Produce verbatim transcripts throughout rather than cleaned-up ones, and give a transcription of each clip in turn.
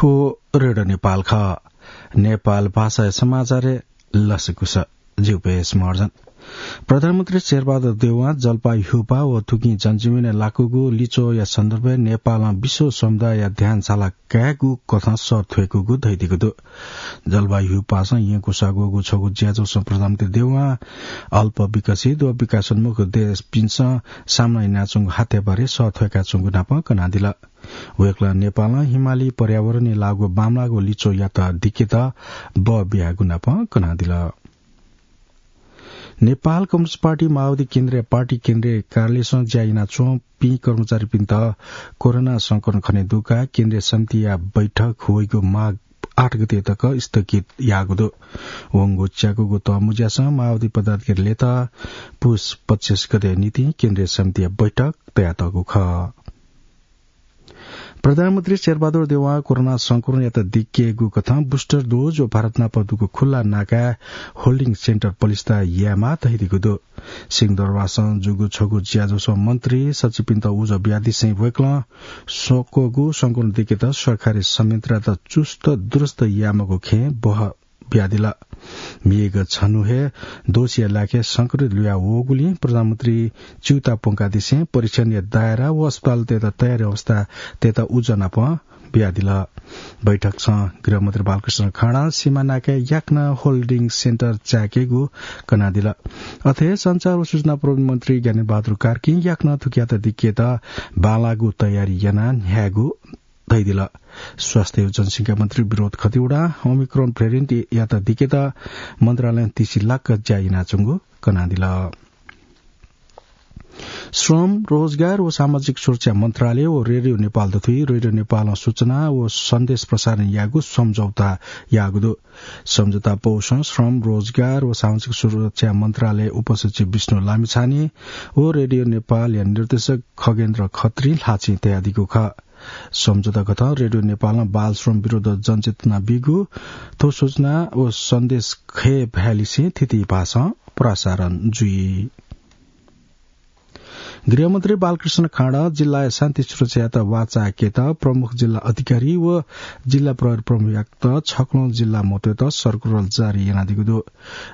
थ्व रेडियो नेपाल खः। नेपाल भाषाया समाचारय् लसकुस। जिगु पेश महर्जन। प्रधानमन्त्री शेरबहादुर देउवां जलपाय् ह्युपा व थुकिं जनजीवनय् लाकूगु लिच्वःया सन्दर्भय् नेपालं विश्व समुदायया ध्यान छाला कायेगु कथं सः थ्वय्कूगु धयादीगु दु। जलपाय् ह्युपासं यंकूसागूगु छगू ज्याझ्वलय् प्रधानमन्त्री देउवां अल्प विकसित व विकासोन्मुख देशपिन्सं सामना यानाच्वंगु हात्याबारे सः थ्वय्काच्वंगु नापं कनादिल। वय्कलं नेपालं हिमाली पर्यावरणय् लाःगु बांमलाःगु लिच्वःयात दिकेत बः बियागु नापं कनादिल। नेपाल कम्युनिस्ट पार्टी माओवादी केन्द्रीय पार्टी केन्द्रीय कार्यालयसं ज्या यानाच्वंपिं कर्मचारीपिन्त कोरोना संक्रमण खने दुकाः केन्द्रीय समितिया बैठक वइगु माघ आठ गते तक स्थगित याःगु दु। वंगु च्याकूगु तःमुँज्यासं माओवादी पदाधिकारीतय्त पुस पच्चिस गते निंतिं केन्द्रीय समितिया बैठक तयातःगु खः। प्रधानमन्त्री शेरबहादुर देउवां कोरोना संक्रमणयात दिकेगु कथं booster dose व भारत नाप दुगु खुल्ला नाकाय् holding center पलिस्था यायेमाः धयादीगु दु। सिंहदरबारसं जूगु छगू ज्याझ्वलय् मन्त्री सचिवपिन्त उजं बियादिसें वय्कलं स्वक्वःगु संक्रमण दिकेत सरकारी संयन्त्रयात चुस्त दुरुस्त यायेमाःगु खँय् बः बियादिल। म्हिगः छन्हु हे दोषीया लाखे संक्रमित लुया वःगुलिं प्रधानमन्त्री च्यूताः प्वंकादिसें परीक्षणया दायरा व अस्पतालतय्त तयारी अवस्थातय्त उजं नापं बियादिल। बैठकसं गृहमन्त्री बालकृष्ण खाँडां सीमा नाकाय् याकनं holding center चायेकेगु कनादिल। अथे हे सञ्चार व सूचना प्रविधि मन्त्री ज्ञानेन्द्र बहादुर कार्कीं याकनं थुकियात दिकेत बांलाःगु तयारी यानाः न्ह्यायेगु धयादिल। स्वास्थ्य व जनसंख्या मन्त्री विनोद खतिवडां Omicron variant यात दिकेत मन्त्रालयं तिसिलाक ज्या यानाच्वंगु कनादिल। श्रम, रोजगार व सामाजिक सुरक्षा मन्त्रालय व रेडियो नेपाल दथुइ रेडियो नेपालं सूचना व सन्देश प्रसारण यायेगु सम्झौता याःगु दु। सम्झौता पौसं श्रम, रोजगार व सामाजिक सुरक्षा मन्त्रालय उपसचिव विष्णु लामिछाने व रेडियो नेपालया निर्देशक खगेन्द्र खत्रीं ल्हाःचिं तयादीगु खः। सम्झौता कथं रेडियो नेपालं बाल श्रम विरुद्ध जनचेतना बीगु थ्व सूचना व सन्देश खये भ्यालिसें थीथी भाषां प्रसारण जुइ। गृहमन्त्री बालकृष्ण खाँडां जिल्लाया शान्ति सुरक्षायात वाःचायेकेत प्रमुख जिल्ला अधिकारी व जिल्ला प्रहरी प्रमुखयात छक्वलं जिल्ला मतय्त सर्कुलर जारी यानादीगु दु।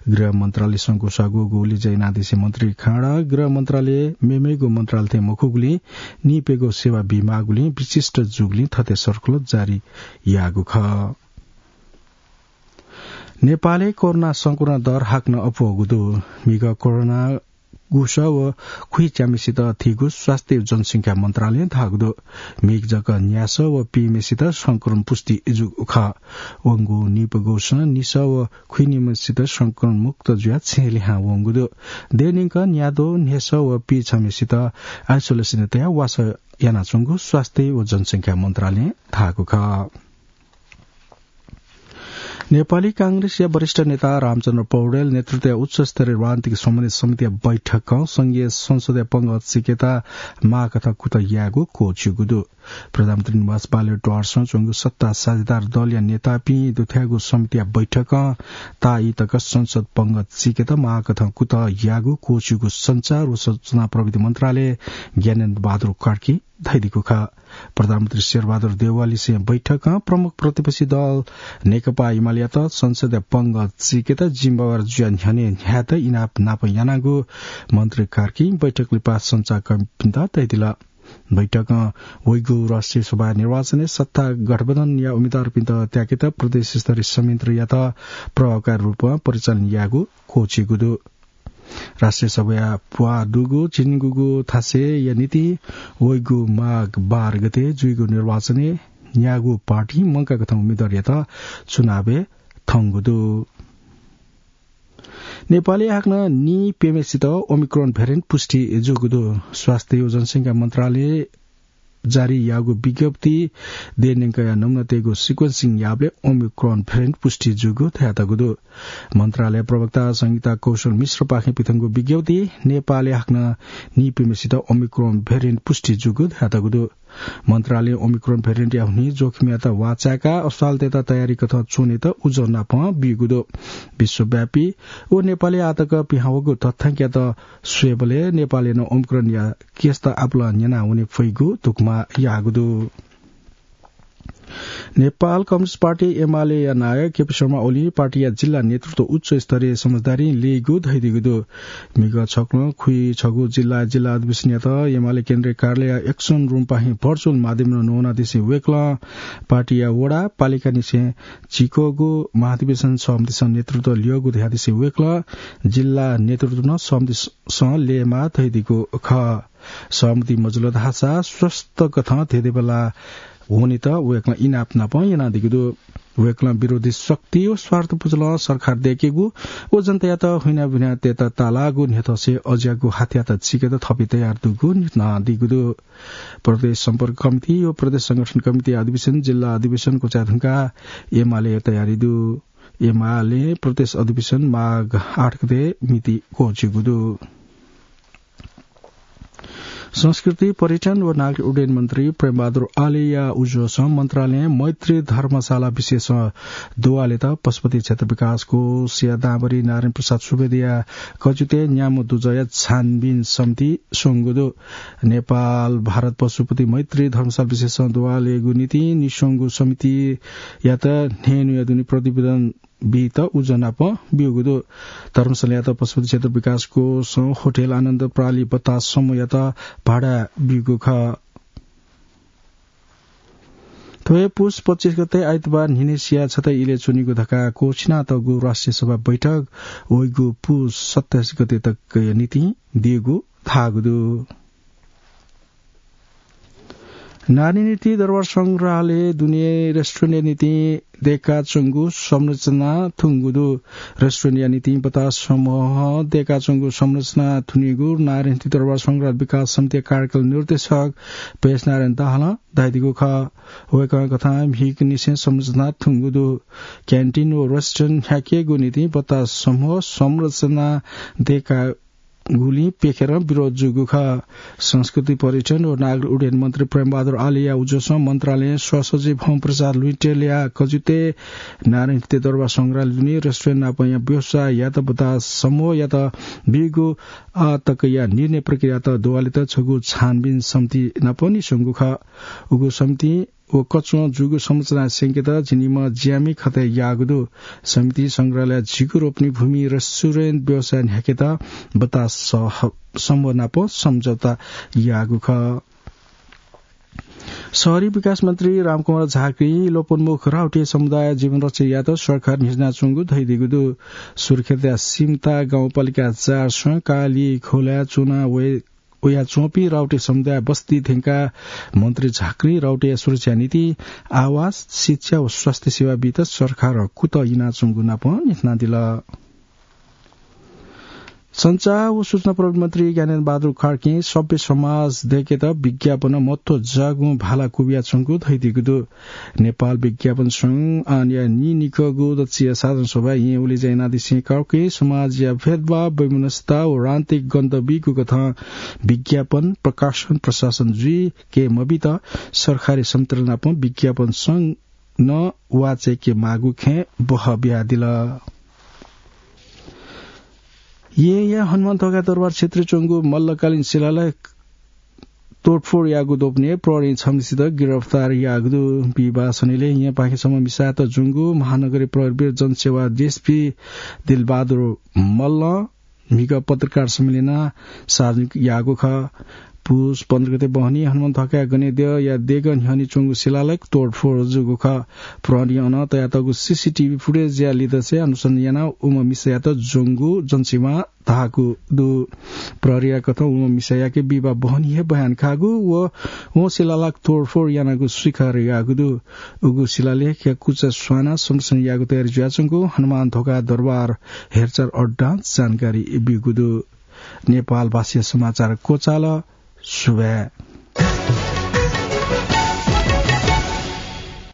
गृह मन्त्रालयसं ग्वसाःगु गुलि ज्या यानादिसें मन्त्री खाँडां गृह मन्त्रालय मेमेगु मन्त्रालय थें मखुगुलिं निइप्यघौ सेवा बीमाःगुलिं विशिष्ट जूगुलिं थथे सर्कुलर जारी याःगु खः। नेपालय् कोरोना संक्रमण दर हाकनं अप्वःगु दु। म्हिगः कोरोना गुसः व खुइच्याम्हेसित थीगु स्वास्थ्य व जनसंख्या मन्त्रालयं धाःगु दु। म्हिगः जक न्यासः व पीम्हेसित संक्रमण पुष्टि जूगु खः। वंगु निइप्यघौसं निसः व खुइनिम्हेसित संक्रमण मुक्त जुयाः छेँ लिहां वंगु दु। देय् न्यंकं न्याद्वः, न्हय्सः व पीछम्हेसित isolation-य् तयाः वासः यानाच्वंगु स्वास्थ्य व जनसंख्या मन्त्रालयं धाःगु खः। नेपाली कांग्रेसया वरिष्ठ नेता रामचन्द्र पौडेल नेतृत्वया उच्चस्तरीय राजनीतिक समन्वय समितिया बैठकं संघीय संसदया पंगः चिकेत माःकथं कुतः यायेगु क्वःछिउगु दु। प्रधानमन्त्री निवास बालुवाटारसं च्वंगु सत्ता साझेदार दलया नेतापिं दुथ्याःगु समितिया बैठकं ताःई तक संसद पंगः चिकेत माःकथं कुतः याःगु क्वःछिउगु सञ्चार व सूचना प्रविधि मन्त्रालय ज्ञानेन्द्र बहादुर कार्कीं धयादीगु खः। प्रधानमन्त्री शेरबहादुर देउवालिसें बैठकं प्रमुख प्रतिपक्षी दल नेकपा एमालेयात संसदया पंगः चिकेत जिम्मेवार जुया न्ह्यःने न्ह्यायेत इनाप नाप यानागु मन्त्री कार्कीं बैठक लिपा सञ्चारकर्मीपिन्त धयादिल। बैठकं वइगु राष्ट्रिय सभा निर्वाचनय् सत्ता गठबन्धनया उम्मेदवारपिन्त त्याकेत प्रदेश स्तरीय संयन्त्रयात प्रभावकारी रूपं परिचालन यायेगु क्वःछिउगु दु। राष्ट्रिय सभाया प्वाः दुगु झिंनिगूगु थासय्‌या निंतिं वइगु माघ बाह्र गते जुइगु निर्वाचनय् न्यागू पार्टी मंकाकथं उम्मेदवारयात चुनावय् थंगु दु। नेपालय् हाकनं निइप्यम्हेसित Omicron variant पुष्टि जूगु दु। स्वास्थ्य व जनसंख्या मन्त्रालयं जारी याःगु विज्ञप्तिइ देय् न्यंकया नमुनातय्गु sequencing याःबलय् Omicron variant पुष्टि जूगु धयातःगु दु। मन्त्रालय प्रवक्ता संगीता कौशल मिश्रपाखें पिथंगु विज्ञप्तिइ नेपालय् हाकनं निइप्यम्हेसित Omicron variant पुष्टि जूगु धयातःगु दु। मन्त्रालयं Omicron variant-या हुनिं जोखिमयात वाःचाय्काः अस्पतालतय्त तयारीकथं च्वनेत उजं नापं ब्यूगु दु। विश्वव्यापी व नेपालय् आःतक पिहां वःगु तथ्यांकयात स्वयेबलय् नेपालय् नं Omicron-या case-त आपालं न्यना वने फइगु धुकुमा याःगु दु। नेपाल कम्युनिस्ट पार्टी एमालेया नायः केपी शर्मा ओलीं पार्टीया जिल्ला नेतृत्व उच्च स्तरीय समझदारीं ल्यइगु धयादीगु दु। म्हिगः छक्वलं खुइछगू जिल्ला, जिल्ला अधिवेशनयात एमाले केन्द्रीय कार्यालय एक्सन रूमपाखें भर्चुअल माध्यमं न्वनादिसें वय्कलं पार्टीया वडा, पालिकानिसें झिक्वःगु महाधिवेशन समितिसं नेतृत्व ल्यःगु धयादिसें वय्कलं जिल्ला नेतृत्व नं समितिसं ल्ययेमाः धयादीगु खः। सहमति मजुल धाःसा स्वस्थ कथं धेंधेंबल्लाः वनेत वय्कलं इनाप नापं यानादीगु दु। वय्कलं विरोधी शक्ति व स्वार्थ पुचलं सरकार दय्केगु व जनतायात हुइनाबिना तयेत ताःलाःगु न्ह्यथंसे अज्याःगु हाथयात चिकेत थपि तयार दुगु न्ह्यथनादीगु दु। प्रदेश सम्पर्क कमिटी व प्रदेश संगठन कमिटी अधिवेशन, जिल्ला अधिवेशन क्वचाये धुंकाः एमाले तयारी दु। एमाले प्रदेश अधिवेशन माघ आठ गते मिति क्वःछिगु दु। संस्कृति, पर्यटन व नागरिक उड्डयन मन्त्री प्रेमबहादुर आलेया उजुसं मन्त्रालयं मैत्री धर्मशाला विशेषं दुवालेत पशुपति क्षेत्र विकास कोषया दांभरि नारायण प्रसाद सुवेदीया कजुते न्याम्ह दुजःया छानबिन समिति स्वंगु दु। नेपाल भारत पशुपति मैत्री धर्मशाला विशेषं दुवालेगु निंतिं निस्वंगु समितियात न्हय्न्हुया दुने प्रतिवेदन बीत उजं नाप ब्यूगु दु। धर्मशालायात पशुपति क्षेत्र विकास कोषं होटल आनन्द प्रालि बतास समूहयात भाडा ब्यूगु खः। थ्व हे पुस पच्चिस गते आइतबार न्हिनेसिया छता इलय् च्वनीगु धकाः क्वःछिनातःगु राष्ट्रिय सभा बैठक वइगु पुस सत्ताइस गते तकया निंतिं दीगु धाःगु दु। नारी निंतिं दरबार संग्रहालय दुने रेस्टुरेन्टया निंतिं दय्काच्वंगु संरचना थुंगु दु। रेस्टुरेन्टया निंतिं बतास समूहं दय्काच्वंगु संरचना थुनीगु नारी निंतिं दरबार संग्रहालय विकास समितिया कार्यकाल निर्देशक भैंसनारायण दाहालं धयादीगु खः। वय्कलं कथं म्हिगःनिसें संरचना थुंगु दु। क्यान्टिन व रेस्टुरेन्ट न्ह्याकेगु निंतिं बतास समूहं संरचना दय्का गुलिं प्यखेरं विरोध जूगु खः। संस्कृति, पर्यटन व नागरिक उड्डयन मन्त्री प्रेमबहादुर आलेया उजुसं मन्त्रालयं सहसचिव होमप्रसाद लुइटेलया कजुते नारी निंतिं दरबार संग्रहालय दुने रेस्टुरेन्ट नापंया व्यवसाययात बतास समूहयात बीगु आः तकया निर्णय प्रक्रियायात दुवालेत छगू छानबिन समिति नाप निस्वंगु खः। उगु समितिं व कच्वं जूगु संरचना स्यंकेत झिंनिम्ह ज्यामि खतय् याःगु दु। समितिं संग्रहालय, झिगू रोपनी भूमि, रेस्टुरेन्ट व्यवसाय न्ह्याकेत बतास सह-, समूह नाप सम्झौता याःगु खः। शहरी विकास मन्त्री रामकुमार झाँक्रीं लोपोन्मुख राउटे समुदाय जीवन रक्षा यायेत सरकार न्ह्यचिनाच्वंगु धयादीगु दु। सुर्खेतया सिमता गाउँपालिका चार सं काली खोलाय् च्वना वये वयाच्वंपिं राउटे समुदाय बस्ती थ्यंकाः मन्त्री झाँक्रीं राउटेया सुरक्षाया निंतिं आवास, शिक्षा व स्वास्थ्य सेवा बीत सरकारं कुतः यानाच्वंगु नाप न्ह्यथनादिल। सञ्चार व सूचना प्रविधि मन्त्री ज्ञानेन्द्र बहादुर कार्कीं सभ्य समाज दय्केत विज्ञापनं महत्व जाःगुं भाला क्वबियाच्वंगु धयादीगु दु। नेपाल विज्ञापन संघ आनया नीनिकःगु दच्छि साधारण सभाय् येँ उलेज्या यानादिसें कार्कीं समाजया भेदभाव, वैमनस्यता व राजनीतिक गन्ध बीगु कथं विज्ञापन प्रकाशन प्रशासन जुइके मबीत सरकारी संयन्त्र नाप विज्ञापन संघ नं वाःचायेके माःगु खँय् बहः बियादिल। येँया हनुमन्थोका दरबार क्षेत्रय् च्वंगु मल्लकालीन शिलालेख तोडफोड याःगु द्वपनय् प्रहरीं छम्हसित गिरफ्तार याःगु दु। बिहिबाः सनिलय् येँपाखें छम्ह मिसायात ज्वंगु महानगरीय प्रहरी वीर जनसेवा डिएसपी दिलबहादुर मल्लं म्हिगः पत्रकार सम्मेलनं सार्वजनिक याःगु खः। पुस पन्ध्र गते बहनी हनुमन्थोकाया गनेद्यःया देगः न्ह्यःने च्वंगु शिलालेख तोडफोड जूगु खः। प्रहरीं अन तयातःगु सीसीटीभी फुटेजया लिधंसे अनुसन्धान यानाः उम्ह मिसायात ज्वंगु जनसेवां धाःगु दु। प्रहरीया कथं उम्ह मिसायाके बिहिबाः बहनी हे बयान काःगु व वं शिलालेख तोडफोड यानागु स्वीकार याःगु दु। उगु शिलालेखया कुचा स्वानाः संरक्षण यायेगु तयारी जुयाच्वंगु हनुमन्थोका दरबार हेरचाह अड्डां जानकारी ब्यूगु दु। नेपाल भाषाया समाचार क्वचाल। सुभाय्।